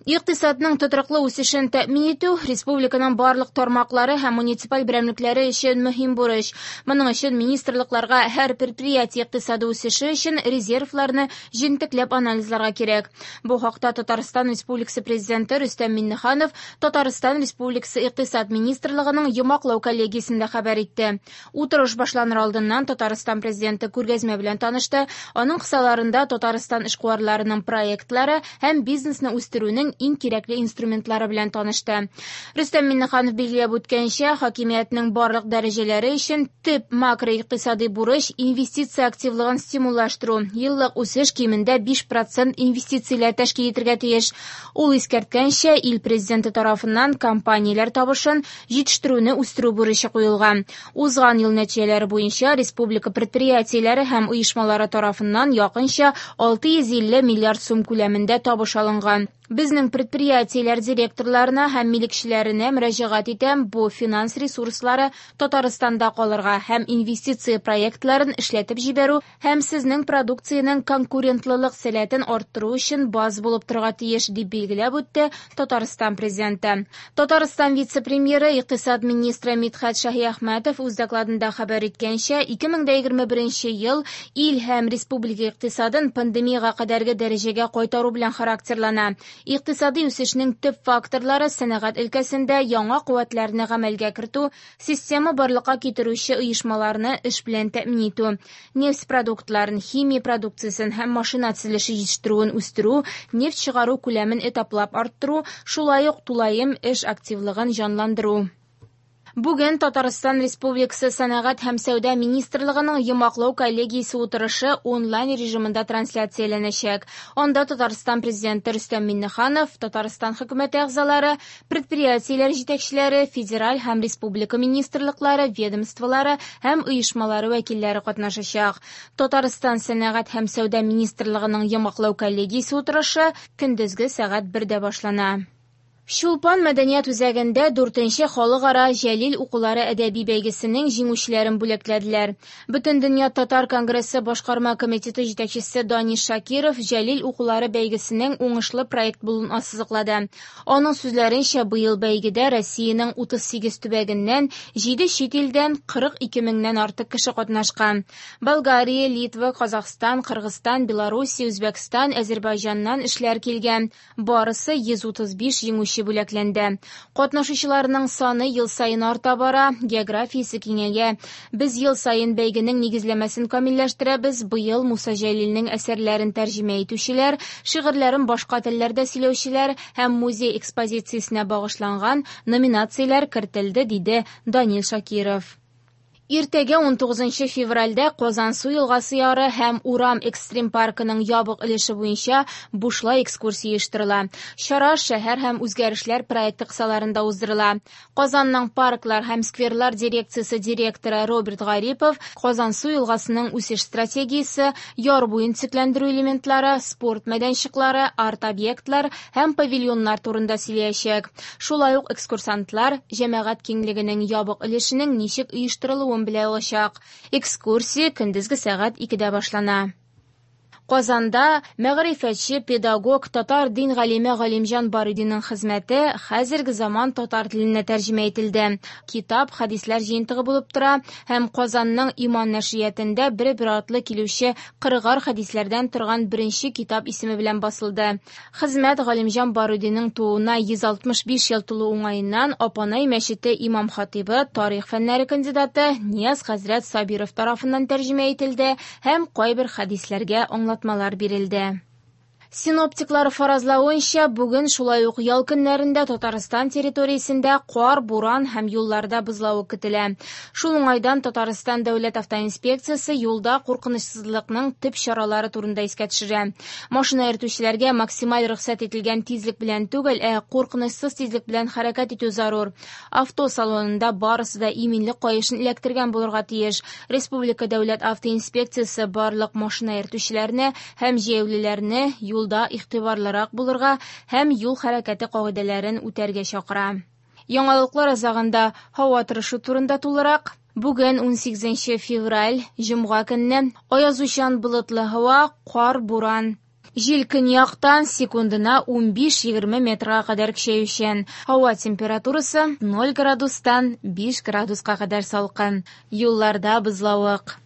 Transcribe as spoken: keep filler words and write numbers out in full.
Икътисадның тотрыклы үсешен тәэмин итү республиканың барлык тармаклары һәм муниципаль берәмлекләре өчен мөһим бурыч. Моның өчен министрлыкларга һәр предприятие икътисады үсеше өчен резервларны җентекләп анализларга кирәк. Бу хакта Татарстан Республикасы Президенты Рөстәм Миңнеханов Татарстан Республикасы Икътисад министрлыгының йомгаклау коллегиясендә хәбәр итте. Утырыш башланыр алдыннан Татарстан Президенты күргәзмә белән танышты. Аның кысаларында Татарстан эшкуарларының проектлары һәм бизнесны үстерүнең иң кирәкле инструментлары белән танышты. Рөстәм Миңнеханов билгеләп үткәнчә, хакимиятнең барлык дәрәҗәләре өчен төп макроикътисади бурыч инвестиция активлыгын стимуллаштыру. Еллык үсеш кимендә биш процент инвестицияләр тәшкил итәргә тиеш. Ул искәрткәнчә, ил президенты тарафыннан компанияләр табышын җитештерүне үстерү бурычы куелган. Узган ел нәтиҗәләре буенча республика предприятиеләре һәм оешмалары тарафыннан якынча алты йөз илле миллиард сум күләмендә табыш алынган. Безнең предприятиеләр директорларына һәм милекчеләренә мөрәҗәгать итәм, бу финанс ресурслары Татарстанда калырга һәм инвестиция проектларын эшләтеп җибәрү һәм сезнең продукциянең конкурентлылык сәләтен арттыру өчен баз булып торырга тиеш, дип билгеләп үтте Татарстан президенты. Татарстан вице-премьеры, икътисад министры Мидхәт Шаһиәхмәтов үз докладында хәбәр иткәнчә, ике мең дә егерме беренче ел ил һәм республика икътисадын пандемияга кадәрге дәрәҗәгә кайтару белән характерлана. Икътисади үсешнең төп факторлары сәнәгать өлкәсендә яңа куәтләрне гамәлгә кертү, система барлыкка китерүче оешмаларны эш белән тәэмин итү, нефть продуктларын, химия продукциясен һәм машина төзелеше җитештерүен үстерү, нефть чыгару күләмен этаплап арттыру, шулай ук тулаем эш активлыгын җанландыру. Бүген Татарстан Республикасы Сәнәгать һәм Сәүдә министрлыгының йомгаклау коллегиясе утырышы онлайн режимында трансляцияләнәчәк. Анда Татарстан Президенты Рөстәм Миңнеханов, Татарстан хөкүмәте әгъзалары, предприятиеләр җитәкчеләре, федераль һәм республика министрлыклары, ведомстволары һәм оешмалары вәкилләре катнашачак. Татарстан Сәнәгать һәм Сәүдә министрлыгының йомгаклау коллегиясе утырышы көндезге сәгать бердә башлана. Чулпан мәдәният үзәгендә дүртенче халыкара Җәлил укулары әдәби бәйгесенең җиңүчеләрен бүләкләделәр. Бөтендөнья татар конгрессы башкарма комитеты җитәкчесе Данис Шакиров Җәлил укулары бәйгесенең уңышлы проект булуын ассызыклады. Аның сүзләренчә, быел бәйгедә Россиянең утыз сигез төбәгеннән җиде чит илдән кырык ике меңнән артык кеше катнашкан. Болгария, Литва, Казахстан, Кыргызстан, Белоруссия, Үзбәкстан, Әзербайҗаннан эшләр килгән. Барысы йөз утыз биш җиңүче бүләкләнде. Катнашучыларның саны ел саен арта бара, географиясе киңәя. Без ел саен бәйгенең нигезләмәсен камилләштерәбез. Быел Муса Җәлилнең әсәрләрен тәрҗемә итүчеләр, шигырьләрен башка телләрдә сөйләүчеләр һәм музей экспозициясенә багышланган номинацияләр кертелде, диде Данил Шакиров. Иртәгә ун тугызынчы февральдә Казансу елгасы яры һәм Урам экстрим паркының ябык өлеше буенча бушлай экскурсия оештырыла. Чара шәһәр һәм үзгәрешләр проекты кысаларында уздырыла. Казанның парклар һәм скверлар дирекциясе директоры Роберт Гарипов Казансу елгасының үсеш стратегиясе, яр буен төзекләндерү элементлары, спорт мәйданчыклары, арт-объектлар һәм павильоннар турында сөйләячәк. Шулай ук экскурсантлар җәмәгать киңлегенең ябык өлешенең ничек оештырылуын белә алачак. Экскурсия көндезге сәгать икедә башлана. Казанда мәгърифәтче, педагог, татар дин галиме Галимҗан Барудиның хезмәте хәзерге заман татар теленә тәрҗемә ителде. Китап хәдисләр җыентыгы булып тора һәм Казанның Иман нәшриятендә бер-бер артлы килүче кырыгар хәдисләрдән торган беренче китап исеме белән басылды. Хезмәт Галимҗан Барудиның тууына йөз алтмыш биш ел тулу уңаеннан Апанай мәчете имам хатибы, тарих фәннәре кандидаты Нияз хәзрәт Сабиров тарафыннан тәрҗемә ителде һәм кайбер хәдисләргә аңлатмалар бирелде. Синоптиклар фаразлавынча, бүген шулай ук ял көннәрендә Татарстан территориясендә кар, буран һәм юлларда бозлавык көтелә. Шул уңайдан Татарстан дәүләт автоинспекциясе юлда куркынычсызлыкның төп чаралары турында искә төшерә. Машина йөртүчеләргә максималь рөхсәт ителгән тизлек белән түгел, ә куркынычсыз тизлек белән хәрәкәт итү зарур. Авто салонында барысы да иминлек каешын эләктергән булырга тиеш. Республика дәүләт автоинспекциясе барлык машина йөртүчеләрне һәм җәяүлеләрне юлда игътибарлырак булырга һәм юл хәрәкәте кагыйдәләрен үтәргә чакыра. Яңалыклар азагында һава торышы турында тулырак. Бүген ун сигезенче февраль, җомга көнне аязучан болытлы һава, кар, буран. Җил көньяктан секундына унбиш-егерме метрга кадәр көчәючән. Һава температурасы ноль градустан биш градуска кадәр салкын. Юлларда бозлавык.